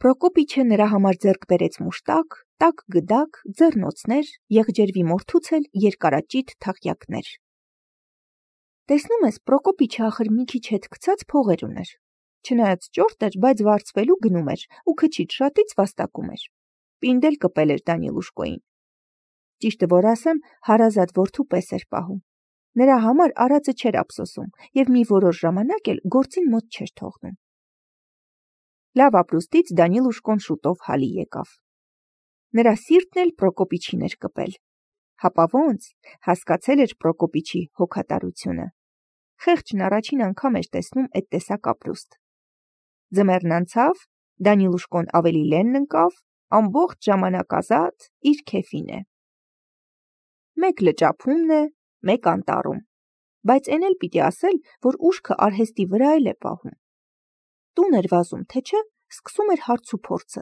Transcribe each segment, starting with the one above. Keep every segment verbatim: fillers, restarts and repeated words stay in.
Պրոկոպիչը նրա համար ձեռք բերեց մուշտակ, տաք գդակ, ձեռնոցներ, եղջերվի մորթուց էլ երկարաճիտ թաղյակներ։ Տեսնում ես, Պրոկոպիչը ախր մի քիչ հետ գցած փողեր ուներ։ Չնայած ճորտ էր, բայց վարձվելու գնում էր ու քչից շատից վաստակում էր։ Պինդ էլ կպել էր Դանիլուշկոին։ Ճիշտը որ ասեմ, հարազատ որդու պես էր պահում։ Նրա համար արածը չէր ափսոսում և մի որոշ ժամանակ էլ գործին մոտ չէր թողնում։ Լավ ապրուստից Դանիլուշկոն շուտով հալի եկավ։ Նրա սիրտն էլ Պրոկոպիչին էր կպել։ Հապա ոնց, հասկացել էր Պրոկոպիչի հոգատարությունը։ Խեղճն առաջին անգամ էր տեսնում այդ տեսակ ապրուստ։ Ձմեռն անցավ, Դանիլուշկոն ավելի լենն ընկավ, ամբողջ ժամանակ ազատ իր քեֆին է։ Մեկ լճափումն է, մեկ անտառում, բայց էն էլ պիտի ասել, որ ուշքը արհեստի վրա էլ է պահում։ Տուն էր վազում, թե չէ, սկսում էր հարց ու փորձը։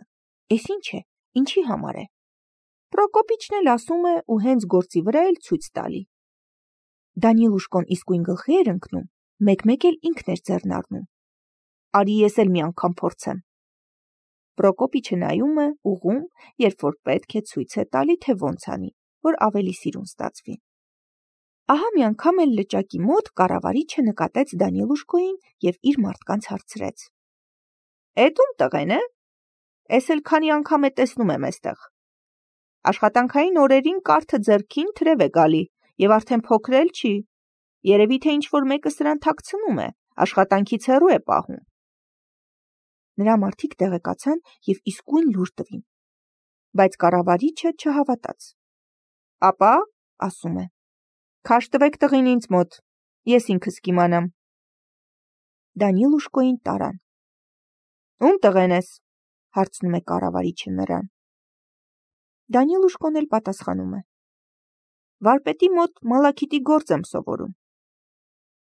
Էս ինչ է, ինչի համար է։ Պրոկոպիչն էլ ասում է ու հենց գործի վրա էլ ցույց տալի։ Դանիլուշկոն իսկույն գլխի էր ընկնում, մեկ-մեկ էլ ինքն էր ձեռն առնում։ Արի ես էլ մի անգամ փորձեմ։ Պրոկոպիչը նայում է, ուղում, երբ որ պետք է ցույց է տալի, թե ոնց անի, որ ավելի սիրուն ստացվի։ Ահա մի անգամ էլ լճակի մոտ կառավարիչը նկատեց Դանիլուշկոին և իր մարդկանց հարցրեց. Էդ ում տղեն է։ Էս էլ քանի անգամ է տեսնում եմ էստեղ։ Աշխատանքային օրերին կարթը ձեռքին թրև է գալի և արդեն փոքր էլ չի։ Երևի թե ինչ-որ մեկը սրան թաքցնում է, աշխատանքից հեռու է պահում։ Նրա մարդիկ տեղեկացան և իսկույն լուր տվին։ Բայց կառավարիչը չհավատաց։ Ապա, ասում է, քաշ տվեք տղին ինձ մոտ, ես ինքս կիմանամ։ Դանիլուշկոին տարան։ Ում տղեն ես, հարցնում է կառավարիչը նրան։ Դանիլուշկոն էլ պատասխանում է. Վարպետի մոտ մալաքիտի գործ եմ սովորում։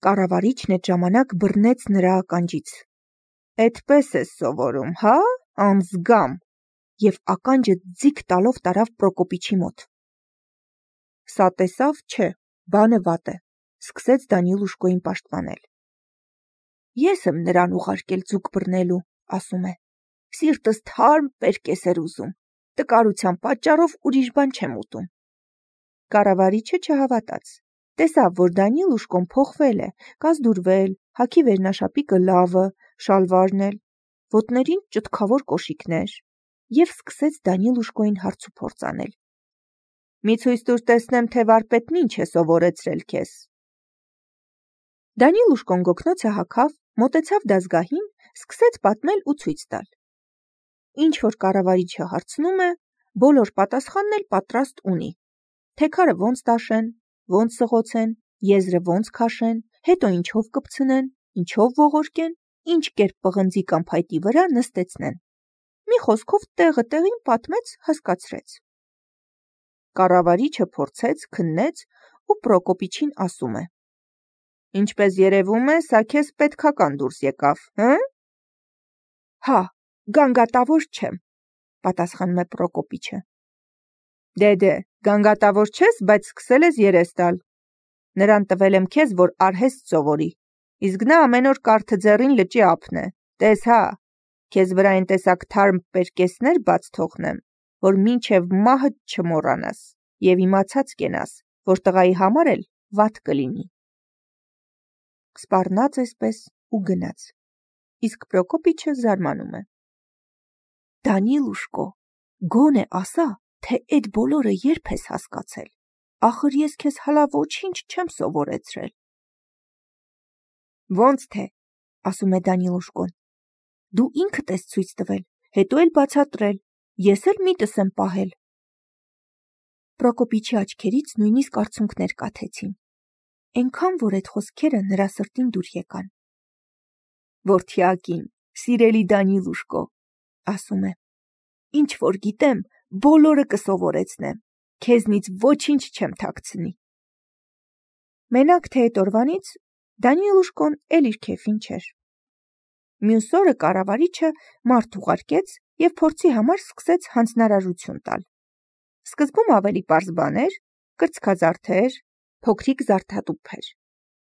Կառավարիչն այդ ժամանակ բռնեց նրա ականջից։ Էդպես ես սովորում, հա, անզգամ, և ականջը ձիգ տալով տարավ Պրոկոպիչի մոտ։ Սա տեսավ, չէ, բանը վատ է, սկսեց Դանիլուշկոին պաշտպանել։ Ես եմ նրան ուղարկել ձուկ բռնելու, ասում է, սիրտս թարմ պերկես էր ուզում, տկարության պատճառով ուրիշ բան չեմ ուտում։ Կառավարիչը չհավատաց, տեսավ, որ Դանիլուշկոն փոխվել է, կազդուրվել, հագի վերնաշապիկը լավը, շալվարն էլ, ոտներին ճտկավոր կոշիկներ, և սկսեց Դանիլուշկոին հարց ու փորձ անել։ Մի ցույց տուր տեսնեմ, թե վարպետն ինչ է սովորեցրել քեզ։ Դանիլուշկոն գոգնոցը հագավ, մոտեցավ դազգահին, սկսեց պատմել ու ցույց տալ։ Ինչ որ կառավարիչը հարցնում է, բոլոր պատասխանն էլ պատրաստ ունի։ Թեքարը ոնց տաշեն, ոնց սղոցեն, եզրը ոնց քաշեն, հետո ինչով կպցնեն, ինչով ողորկեն, ինչ կերպ պղնձի կամ փայտի վրա նստեցնեն։ Մի խոսքով տեղը տեղին պատմեց, հասկացրեց։ Կառավարիչը փորձեց, քննեց ու Պրոկոպիչին ասում է. Ինչպես երևում է, սա քեզ պետքական դուրս եկավ, հը՞։ Հա, գանգատավոր չեմ, պատասխանում է Պրոկոպիչը։ Դե-դե, գանգատավոր չես, բայց սկսել ես երես տալ։ Նրան տվել եմ քեզ, որ արհեստ սովորի, իսկ նա ամեն օր կարթը ձեռին լճի ափն է։ Տես հա, քեզ վրա այն տեսակ թարմ պերկեսներ բաց թողնեմ, որ մինչև մահդ չմոռանաս և իմացած կենաս, որ տղայի համար էլ վատ կլինի։ Սպառնաց այսպես ու գնաց, իսկ Պրոկոպիչը զարմանում է։ Դանիլուշկո, գոնե ասա, թե այդ բոլորը երբ ես հասկացել, ախր ես քեզ հլա ոչինչ չեմ սովորեցրել։ Ոնց թե, ասում է Դանիլուշկոն, դու ինքդ ես ցույց տվել, հետո էլ բացատրել, ես էլ միտս եմ պահել։ Պրոկոպիչի աչքերից նույնիսկ արցունքներ կաթեցին, այնքան, որ այդ խոսքերը նրա սրտին դուր եկան։ Որդյակին, սիրելի Դանիլուշկո, ասում է, ինչ որ գիտեմ, բոլորը կսովորեցնեմ, քեզնից ոչինչ չեմ թաքցնի։ Մենակ թե այդ օրվանից Դանիլուշկոն էլ իր քեֆին չէր։ Մյուս օրը կառավարիչը մարդ ուղարկեց և փորձի համար սկսեց հանձնարարություն տալ։ Սկզբում ավելի պարզ բաներ, կրծքազարդեր, փոքրիկ զարդատուփեր։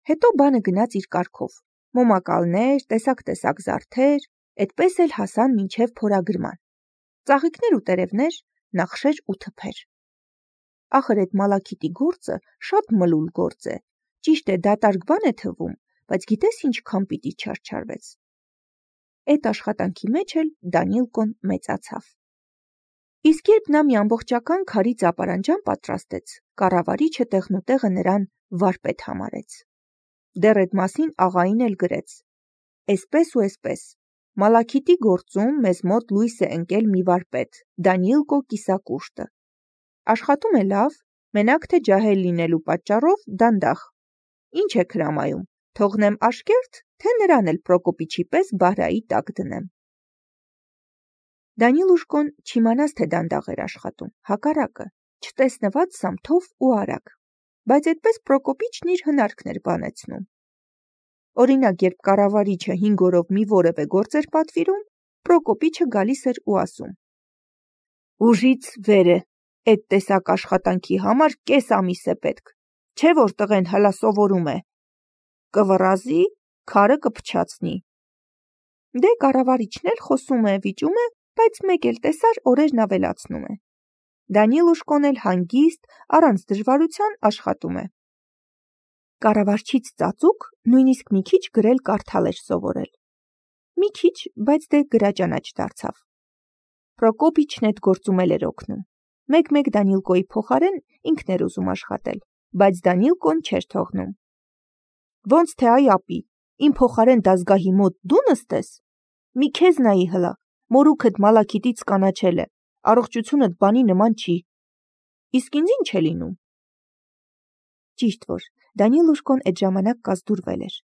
Հետո բանը գնաց իր կարգով. մոմակալներ, տեսակ-տեսակ զարդեր, Էդպես էլ հասան մինչև փորագրման։ Ծաղիկներ ու տերևներ, նախշեր ու թփեր։ Ախր այդ Մալաքիթի գործը շատ մլուլ գործ է։ Ճիշտ է, դատարկ բան է թվում, բայց գիտես ինչքան պիտի չարչարվեց։ Այդ աշխատանքի մեջ էլ Դանիլկոն մեծացավ։ Իսկ երբ նա մի ամբողջական քարի ծապարանջան պատրաստեց, կառավարիչը տեղնուտեղը նրան վարպետ համարեց։ Դեռ այդ մասին աղային էլ գրեց. «Էսպես ու էսպես, Մալաքիթի գործում մեզ մոտ լույս է ընկել մի վարպետ, Դանիլկո Կիսակուշտը։ Աշխատում է լավ, մենակ թե ջահել լինելու պատճառով դանդաղ։ Ինչ է հրամայում, թողնեմ աշկերտ, թե նրան էլ Պրոկոպիչի պես բահրայի տակ դնեմ»։ Դանիլուշկոն չիմանաց, թե դանդաղ էր աշխատում, հակառակը, չտեսնված սամթով ու արագ, բայց այդպես Պրոկոպիչն իր հնարքն էր բանեցնում։ Օրինակ, երբ կառավարիչը հինգ օրով մի որևէ գործ էր պատվիրում, Պրոկոպիչը գալիս էր ու ասում. «Ուժից վեր է, այդ տեսակ աշխատանքի համար կես ամիս է պետք, չէ որ տղեն հլա սովորում է։ Կվռազի, քարը կփչացնի»։ Դե կառավարիչն էլ խոսում է, վիճում է, բայց մեկ էլ տեսար օրերն ավելացնում է։ Դանիլուշկոն էլ հանգիստ, առանց դժվարության աշխատում է։ Կառավարչից ծածուկ նույնիսկ մի քիչ գրել կարդալ էր սովորել։ Մի քիչ, բայց դե գրաճանաչ դարձավ։ Պրոկոպիչն այդ գործում էլ էր օգնում։ Մեկ-մեկ Դանիլկոյի փոխարեն ինքն էր ուզում աշխատել, բայց Դանիլկոն չէր թողնում։ Ոնց թե այ ապի, իմ փոխարեն դազգահի մոտ դու նստես։ Մի քեզ նայի հլա, մորուքդ Մալաքիթից կանաչել է, առողջությունդ բանի նման չի։ Իսկ ինձ ինչ է լինում։ Ճիշտ որ Դանիլուշկոն այդ ժամանակ կազդուրվել էր։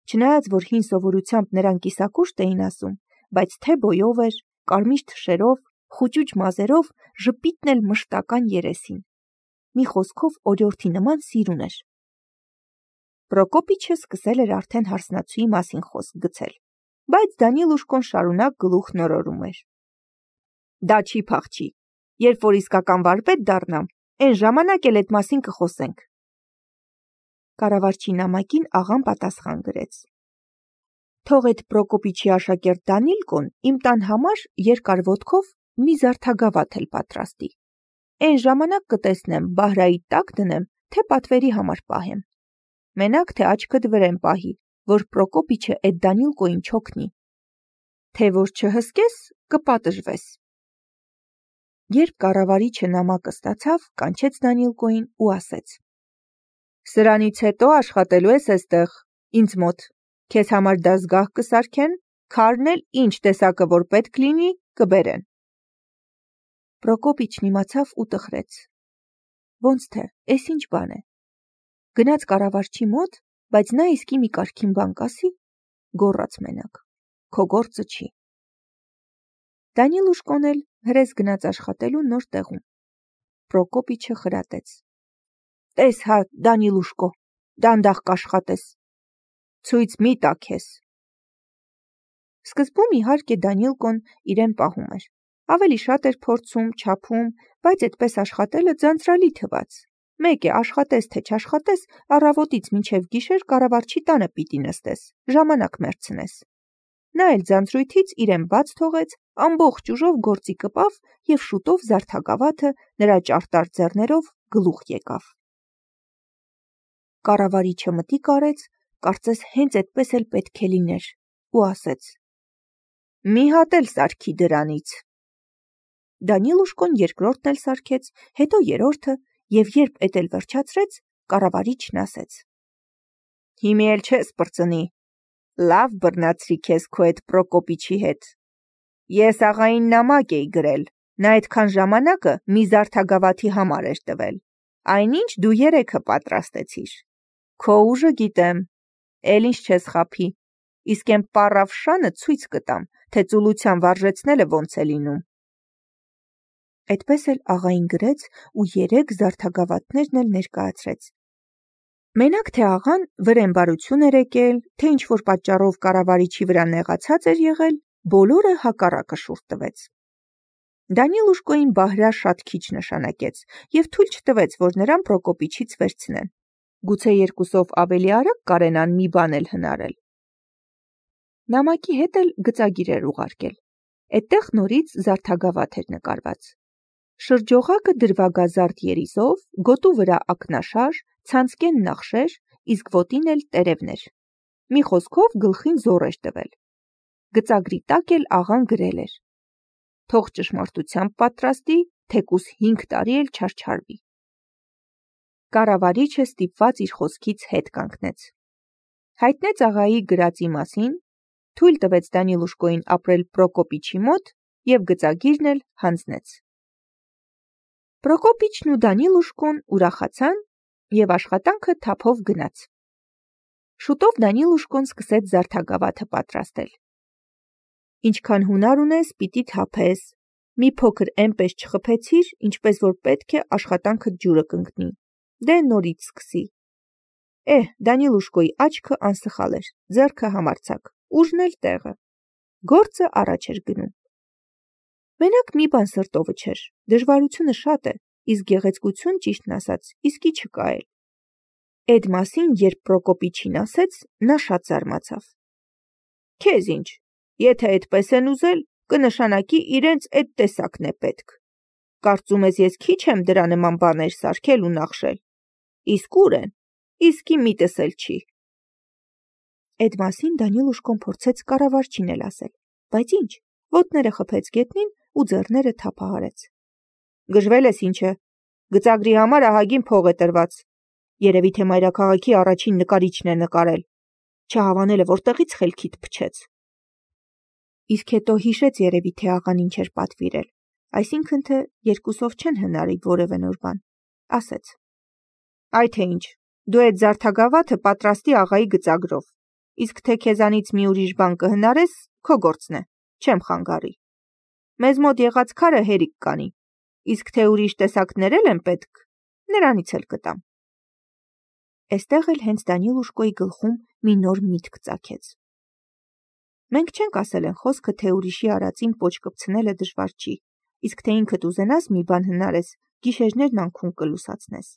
Չնայած որ հին սովորությամբ նրան կիսակուշտ էին ասում, բայց թե բոյով էր, կարմիր թշերով, խուճուճ մազերով, ժպիտն էլ մշտական երեսին։ Մի խոսքով օրիորդի նման սիրուն էր։ Պրոկոպիչը սկսել էր արդեն հարսնացուի մասին խոսք գցել, բայց Դանիլուշկոն շարունակ գլուխ նորորում էր։ Դա չի փախչի, երբ որ իսկական վարպետ դառնամ, այն ժամանակ էլ այդ մասին կխոսենք։ Կառավարչի նամակին աղան պատասխան գրեց. Թող այդ Պրոկոպիչի աշակերտ Դանիլկոն իմ տան համար երկար ոտքով մի զարդագավաթ էլ պատրաստի։ Այն ժամանակ կտեսնեմ բահրայի տակ դնեմ, թե պատվերի համար պահեմ։ Մենակ թե աչքդ վրեն պահի, որ Պրոկոպիչը այդ Դանիլկոին չօգնի։ Թե որ չհսկես, կպատժվես։ Երբ կառավարիչը նամակը ստացավ, կանչեց Դանիլկոին ու ասեց. Սրանից հետո աշխատելու ես այստեղ, ինձ մոտ, քեզ համար դազգահ կսարքեն, քարն էլ ինչ տեսակը որ պետք լինի, կբերեն։ Պրոկոպիչն իմացավ ու տխրեց։ Ոնց թե, էս ինչ բան է։ Գնաց կառավարչի մոտ, բայց նա իսկի մի կարգին բան կասի, գոռաց մենակ, քո գործը չի։ Դանիլուշկոն էլ հրես գնաց աշխատելու նոր տեղում։ Պրոկոպիչը խրատեց. Տես հա, Դանիլուշկո, դանդաղ կաշխատես։ Ցույց մի տա քեզ։ Սկզբում իհարկե Դանիլկոն իրեն պահում էր։ Ավելի շատ էր փորձում, չափում, բայց այդպես աշխատելը ձանձրալի թվաց։ Մեկ է աշխատես թե չաշխատես, առավոտից մինչև գիշեր կառավարչի տանը պիտի նստես, ժամանակ մեռցնես։ Նա էլ ձանձրույթից իրեն բաց թողեց, ամբողջ ուժով գործի կպավ և շուտով զարդագավաթը նրա ճարտար ձեռներով գլուխ եկավ։ Կառավարիչը մտիկ արեց, կարծես հենց այդպես էլ պետք է լիներ, ու ասեց. Մի հատ էլ սարքի դրանից։ Դանիլուշկոն երկրորդն էլ սարքեց, հետո երրորդը, և երբ էդ էլ վերջացրեց, կառավարիչն ասեց. Հիմի էլ չես պրծնի, լավ բռնացրի քեզ քո այդ Պրոկոպիչի հետ։ Ես աղային նամակ էի գրել, նա այդքան ժամանակը մի զարդագավաթի համար էր տվել, այնինչ դու երեքը պատրաստեցիր։ Քո ուժը գիտեմ, էլ ինչ չես խաբի, իսկ այն պառավ շանը ցույց կտամ, թե ծուլության վարժեցնելը ոնց է լինում։ Այդպես էլ աղային գրեց ու երեք զարդագավաթներն էլ ներկայացրեց։ Մենակ թե աղան վրեն բարություն էր եկել, թե ինչ-որ պատճառով կառավարիչի վրա նեղացած էր եղել, բոլորը հակառակը շուռ տվեց։ Դանիլուշկոին բահրա շատ քիչ նշանակեց և թույլ չտվեց, որ նրան Պրոկոպիչից վերցնեն։ Գուցե երկուսով ավելի արագ կարենան մի բան էլ հնարել։ Նամակի հետ էլ գծագիր էր ուղարկել։ Այդտեղ նորից զարդագավաթ էր նկարված։ Շրջողակը դրվագազարդ երիզով, գոտու վրա ակնաշար, ցանցկեն նախշեր, իսկ ոտին էլ տերևներ։ Մի խոսքով գլխին զոռ էր տվել։ Գծագրի տակ էլ աղան գրել էր. թող ճշմարտությամբ պատրաստի, թեկուս հինգ տարի էլ չարչարվի։ Կառավարիչը ստիպված իր խոսքից հետ կանգնեց։ Հայտնեց աղայի գրածի մասին, թույլ տվեց Դանիլուշկոյին ապրել Պրոկոպիչի մոտ և գծագիրն էլ հանձնեց։ Պրոկոպիչն ու Դանիլուշկոն ուրախացան և աշխատանքը թափով գնաց։ Շուտով Դանիլուշկոն սկսեց զարդագավաթը պատրաստել։ Ինչքան հունար ունես, պիտի թափես, մի փոքր էնպես չխփեցիր, ինչպես որ պետք է աշխատանքդ ջուրը կընկնի, դե նորից սկսի։ Էհ, Դանիլուշկոյի աչքը անսխալ էր, ձեռքը համարձակ, ուժն էլ տեղը։ Գործը առաջ էր գնում։ Մենակ մի բան սրտովը չէր, դժվարությունը շատ է, իսկ գեղեցկություն, ճիշտն ասած, իսկի չկա էլ։ Էդ մասին, երբ Պրոկոպիչին ասեց, նա շատ զարմացավ։ Քեզ ինչ, եթե այդպես են ուզել, կնշանակի իրենց այդ տեսակն է պետք։ Կարծում ես ես քիչ եմ դրա նման բաներ սարքել ու նախշել։ Իսկ ուր են, իսկի միտս էլ չի։ Այդ մասին Դանիլուշկոն փորձեց կառավարչին էլ ասել, բայց ինչ, ոտները խփեց գետնին ու ձեռները թափահարեց։ Գժվել ես ինչ է, գծագրի համար ահագին փող է տրված։ Երևի թե մայրաքաղաքի առաջին նկարիչն է նկարել։ Չհավանելը որտեղից խելքիդ փչեց։ Իսկ հետո հիշեց երևի թե աղան ինչ էր պատվիրել, այսինքն թե երկուսով չեն հնարի որևէ նոր բան։ Ասեց. Այ թե ինչ, դու այդ զարդագավաթը պատրաստի աղայի գծագրով, իսկ թե քեզանից մի ուրիշ բան կհնարես, քո գործն է, չեմ խանգարի։ Մեզ մոտ եղած քարը հերիք կանի, իսկ թե ուրիշ տեսակներ էլ են պետք, նրանից էլ կտամ։ Էստեղ էլ հենց Դանիլուշկոյի գլխում մի նոր միտք ծագեց։ Մենք չենք ասել են խոսքը, թե ուրիշի արածին պոչ կպցնելը դժվար չի, իսկ թե ինքդ ուզենաս մի բան հնարես, գիշերներն անքուն կլուսացնես։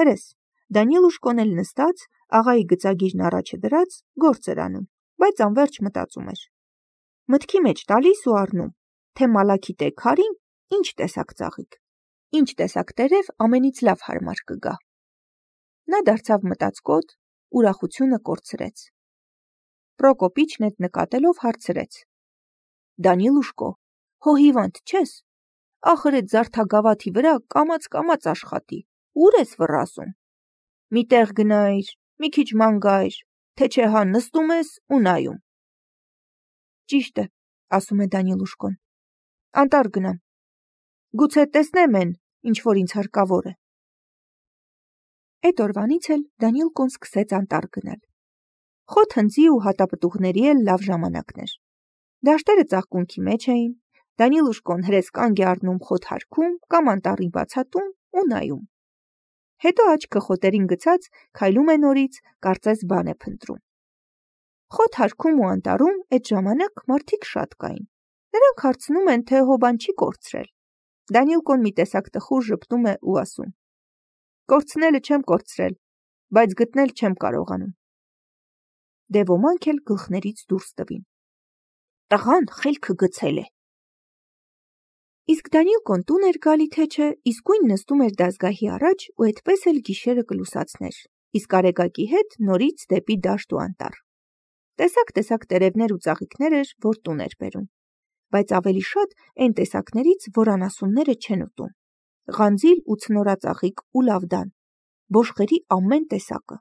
Հրես, Դանիլուշկոն էլ նստած, աղայի գծագիրն առաջը դրած, գործ էր անում, բայց անվերջ մտածում էր։ Մտքի մեջ տալիս ու առնում, թե մալաքիտ է քարին, ինչ տեսակ ծաղիկ, ինչ տեսակ տերև ամենից լավ հարմար կգա։ Նա դարձավ մտածկոտ, ուրախությունը կորցրեց։ Պրոկոպիչն այդ նկատելով հարցրեց. Դանիլուշկո, հո հիվանդ չես։ Ախր այդ զարդագավաթի վրա կամաց-կամաց աշխատի, ուր ես վռազում։ Մի տեղ գնայր, մի քիչ ման գայր, թե չէ հա նստում ես ու նայում։ Ճիշտ է, ասում է Դանիլուշկոն։ Անտառ գնամ։ Գուցե տեսնեմ են, ինչ որ ինձ հարկավոր է։ Այդ օրվանից էլ Դանիլկոն սկսեց անտառ գնալ։ Խոտ հնձի ու հատապտուղների էլ լավ ժամանակներ։ Դաշտերը ծաղկունքի մեջ էին, Դանիլուշկոն հրես կանգ է առնում խոտ հարկում կամ անտառի բացատում ու նայում։ Հետո աչքը խոտերին գցած քայլում է նորից, կարծես բան է փնտրում։ Խոտ հարկում ու անտառում այդ ժամանակ մարդիկ շատ կային։ Նրանք հարցնում են, թե հո բան չի կորցրել։ Դանիլկոն մի տեսակ տխուր ժպտում է ու ասում. Կորցնելը չեմ կորցրել, բայց գտնել չեմ կարողանում։ Դե ոմանք էլ գլխներից դուրս տվին։ Տղան խելքը գցել է։ Իսկ Դանիլկոն տուն էր գալի թե չէ, իսկույն նստում էր դազգահի առաջ ու այդպես էլ գիշերը կլուսացներ, իսկ արեգակի հետ նորից դեպի դաշտ ու անտառ։ Տեսակ-տեսակ տերևներ ու ծաղիկներ էր, որ տուն էր բերում, բայց ավելի շատ այն տեսակներից, որ անասունները չեն ուտում։ Ղանձիլ ու ցնորածաղիկ ու լավդան, բոշխերի ամեն տեսակը։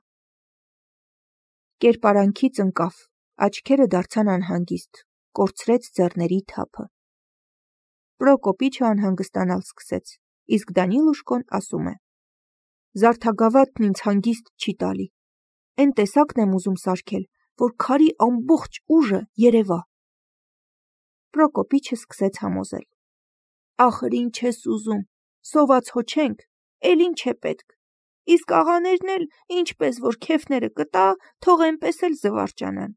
Կերպարանքից ընկավ, աչքերը դարձան անհանգիստ, կորցրեց ձեռների թափը։ Պրոկոպիչը անհանգստանալ սկսեց, իսկ Դանիլուշկոն ասում է. Զարդագավաթն ինձ հանգիստ չի տալի։ Էն տեսակն եմ ուզում սարքել, որ քարի ամբողջ ուժը երևա։ Պրոկոպիչը սկսեց համոզել. Ախր ինչ ես ուզում, սոված հո չենք, էլ ինչ է պետք։ Իսկ աղաներն էլ ինչպես որ քեֆները կտա, թող այնպես էլ զվարճանան։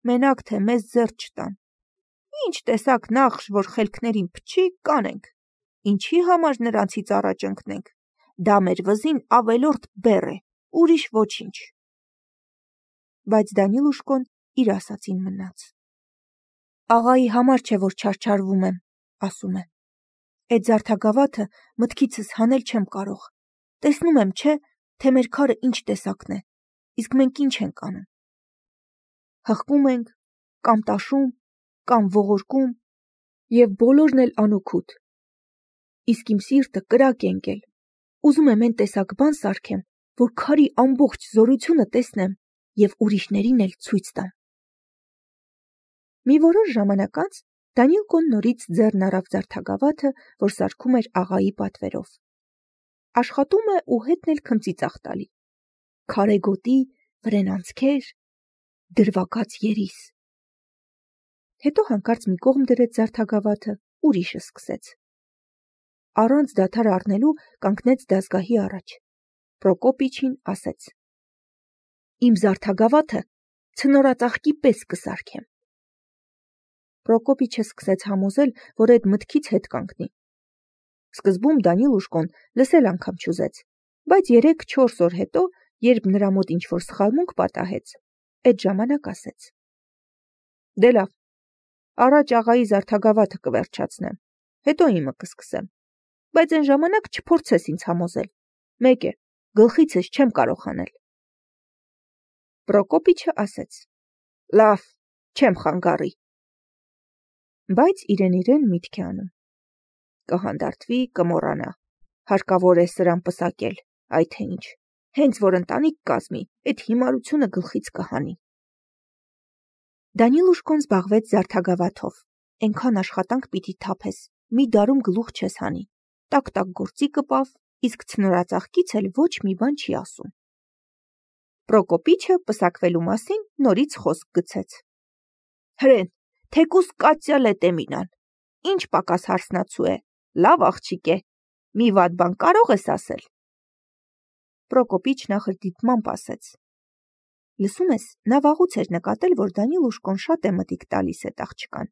Մենակ թե մեզ ձեռ չտան։ Ինչ տեսակ նախշ, որ խելքներին փչի, կանենք։ Ինչի համար նրանցից առաջ ընկնենք։ Դա մեր վզին ավելորդ բեռ է, ուրիշ ոչինչ։ Բայց Դանիլուշկոն իր ասածին մնաց։ Աղայի համար չէ, որ չարչարվում եմ, ասում է։ Այդ զարդագավաթը մտքիցս հանել չեմ կարող։ Տեսնում եմ, չէ, թե մեր քարը ինչ տեսակն է, իսկ մենք ինչ ենք անում։ Հղկում ենք, կամ տաշում, կամ ողորկում, և բոլորն էլ անօգուտ։ Իսկ իմ սիրտը կրակ է ընկել։ Ուզում եմ այն տեսակ բան սարքեմ, որ քարի ամբողջ զորությունը տեսնեմ և ուրիշներին էլ ցույց տամ։ Մի որոշ ժամանակ անց Դանիելկոն նորից ձեռն առավ զարդագավաթը, որ սարքում էր աղայի պատվերով։ Աշխատում է ու հետն էլ քմծի ծախ տալի։ Քարե գոտի, վրեն անցքեր, դրվագած երիս։ Հետո հանկարծ մի կողմ դրեց զարդագավաթը, ուրիշը սկսեց։ Առանց դադար առնելու կանգնեց դազգահի առաջ։ Պրոկոպիչին ասեց. Իմ զարդագավաթը ցնորածաղկի պես կսարքեմ։ Պրոկոպիչը սկսեց համոզել, որ այդ մտքից հետ կանգնի։ Սկզբում Դանիլուշկոն լսել անգամ չուզեց, բայց երեք-չորս օր հետո, երբ նրա մոտ ինչ-որ սխալմունք պատահեց, այդ ժամանակ ասեց. Դե լավ, առաջ աղայի զարդագավաթը կվերջացնեմ, հետո իմը կսկսեմ, բայց այն ժամանակ չփորձես ինձ համոզել, մեկ է, գլխիցս չեմ կարող հանել։ Պրոկոպիչը ասեց. Լավ, չեմ խանգարի։ Բայց իրեն-իրեն միտք է անում. կհանդարտվի, կմոռանա, հարկավոր է սրան պսակել, այ թե ինչ, հենց որ ընտանիք կազմի, այդ հիմարությունը գլխից կհանի։ Դանիլուշկոն զբաղվեց զարդագավաթով, այնքան աշխատանք պիտի թափես, մի դարում գլուխ չես հանի, տակ-տակ գործի կպավ, իսկ ցնորածաղկից էլ ոչ մի բան չի ասում։ Պրոկոպիչը պսակվելու մասին նորից խոսք գցեց. Հրեն, թեկուս Կատյա Լետեմինան, ինչ պակաս հարսնացու է, լավ աղջիկ է, մի վատ բան կարող ես ասել։ Պրոկոպիչ նախ դիտմամբ ասեց. Լսում ես, նա վաղուց էր նկատել, որ Դանիլուշկոն շատ է մտիկ տալիս այդ աղջկան։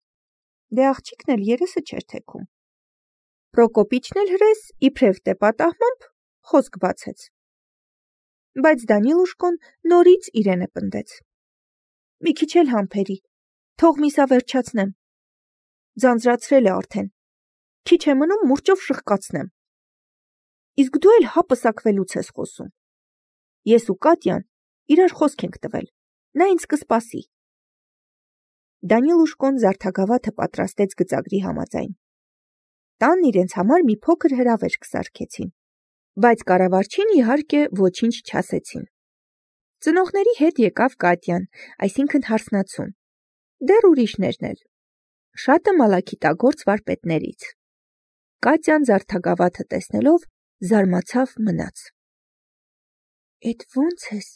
Դե աղջիկն էլ երեսը չէր թեքում։ Պրոկոպիչն էլ հրես իբրև թե պատահմամբ խոսք բացեց։ Բայց Դանիլուշկոն նորից իրենը պնդեց. Մի քիչ էլ համբերի, թող միսա վերջացնեմ։ Ձանձրացրել է արդեն։ Քիչ է մնում մուրճով շղկացնեմ։ Իսկ դու էլ հա պսակվելուց ես խոսում։ Ես ու Կատյան իրար խոսք ենք տվել։ Նա ինձ կսպասի։ Դանիլուշկոն զարդագավաթը պատրաստեց գծագրի համաձայն։ Տան իրենց համար մի փոքր հրավեր կսարքեցին, բայց կառավարչին իհարկե ոչինչ չասեցին։ Ծնողների հետ եկավ Կատյան, այսինքն հարսնացուն։ Դեռ ուրիշներն էլ։ Շատը մալաքիտագործ վարպետներից։ Կատյան զարդագավաթը տեսնելով զարմացավ մնաց։ Էդ ո՞նց ես,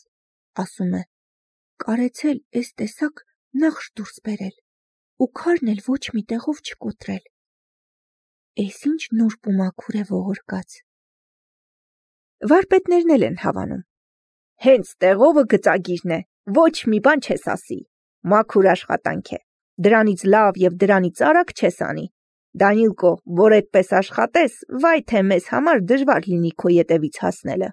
ասում է, կարեցել էս տեսակ նախշ դուրս բերել, ու քարն էլ ոչ մի տեղով չկոտրել։ Էս ինչ նուրբ ու մաքուր է ողորկած։ Վարպետներն էլ են հավանում։ Հենց տեղովը գծագիրն է, ոչ մի բան չես ասի, մաքուր աշխատանք է, դրանից լավ և դրանից արագ չես անի։ Դանիլկո, որ այդպես աշխատես, վայ թե մեզ համար դժվար լինի քո ետևից հասնելը։